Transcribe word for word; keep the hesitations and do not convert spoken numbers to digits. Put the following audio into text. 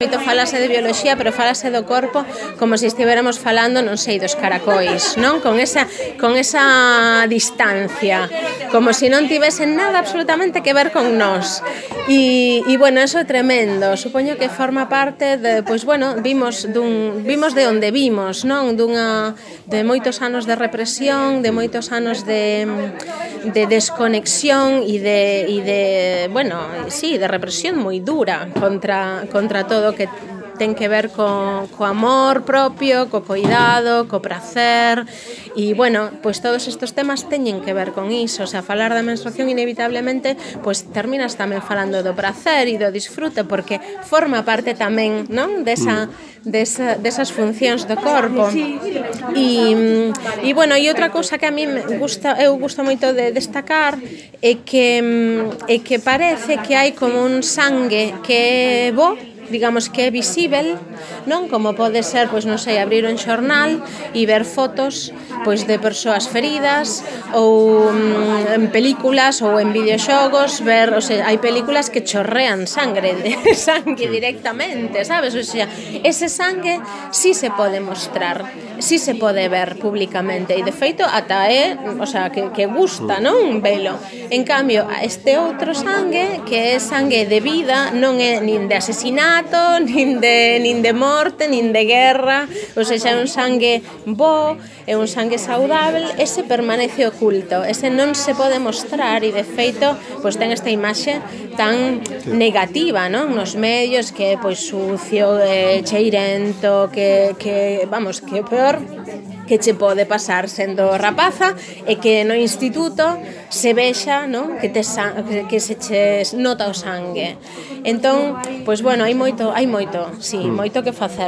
Moito falase de bioloxía, pero falase do corpo como se estivéramos falando, non sei, dos caracois, non? Con esa, con esa distancia, como se non tivesen nada absolutamente que ver con nós. E, e bueno, eso é tremendo. Supoño que forma parte de, pois bueno, vimos dun, vimos de onde vimos, non? Dunha, de moitos anos de represión, de moitos anos de, de desconexión e de, e de, bueno, sí, de represión moi dura contra, contra todo que ten que ver co, co amor propio, co cuidado, co prazer e, bueno, pois todos estes temas teñen que ver con iso, o sea, falar da menstruación inevitablemente, pois terminas tamén falando do prazer e do disfrute porque forma parte tamén, non? Desa, desa, desas funcións do corpo e, e bueno, e outra cousa que a mí me gusta, eu gusto moito de destacar é que, é que parece que hai como un sangue que é bo, digamos que é visível, non? Como pode ser, pois non sei, abrir un xornal e ver fotos pois de persoas feridas ou mm, en películas ou en videoxogos, ver, o sea, hai películas que chorrean sangre, de sangue directamente, sabes? O sea, ese sangue sí se pode mostrar, sí se pode ver públicamente e de feito ata é, o sea, que, que gusta, non? Velo. En cambio, este outro sangue, que é sangue de vida, non é nin de asesinato, nin de, nin de morte, nin de guerra, ou seja, é un sangue bo, é un sangue saudável, ese permanece oculto, ese non se pode mostrar e de feito, pois ten esta imaxe tan negativa, non? Nos medios, que é pois sucio, eh, cheirento, que, que, vamos, que é peor que che pode pasar sendo rapaza e que no instituto se vexa, non? Que, te, que se che nota o sangue. Entón, pois bueno, hai moito, hai moito, sí, moito que facer.